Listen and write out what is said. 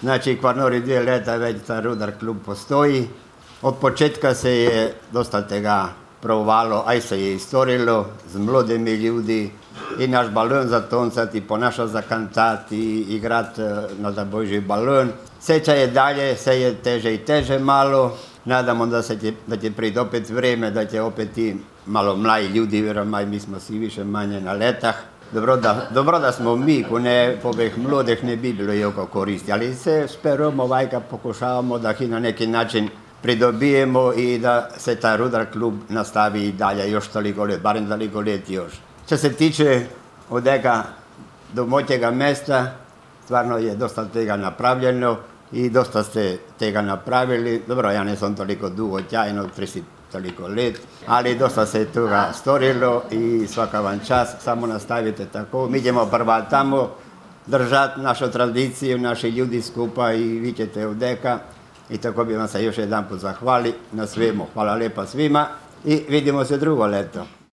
Znači, Kvarnori 2 leta već ta Rudar klub postoji. Od početka se je dosta tega provalo, aj se je istorilo z mladimi ljudi i naš balon zatoncati, ponaša zakantati, igrat na da Božji balon. Seča je dalje, se je teže i teže malo. Nadamo da će priti opet vrijeme, da će opet ti malo mlaji ljudi, vjeromaj mi smo svi više manje na letah. Dobro da smo mi, ko ne poveh mladih ne bi bilo jako koristi, ali se speramo, vajka pokušavamo da ih na neki način pridobijemo i da se taj Rudar klub nastavi i dalje još toliko let, barem toliko let još. Što se tiče odega domaćega mesta, stvarno je dosta tega napravljeno i dosta ste tega napravili. Dobro, ja nisam toliko dugo tjajno, 30 toliko let, ali dosta se toga storilo i svaka vam čast, samo nastavite tako. Mi ćemo prva tamo držati našu tradiciju, naši ljudi skupa i vi ćete odeka. I tako bi vam se još jedan put zahvali na svemu. Hvala lijepa svima i vidimo se drugo leto.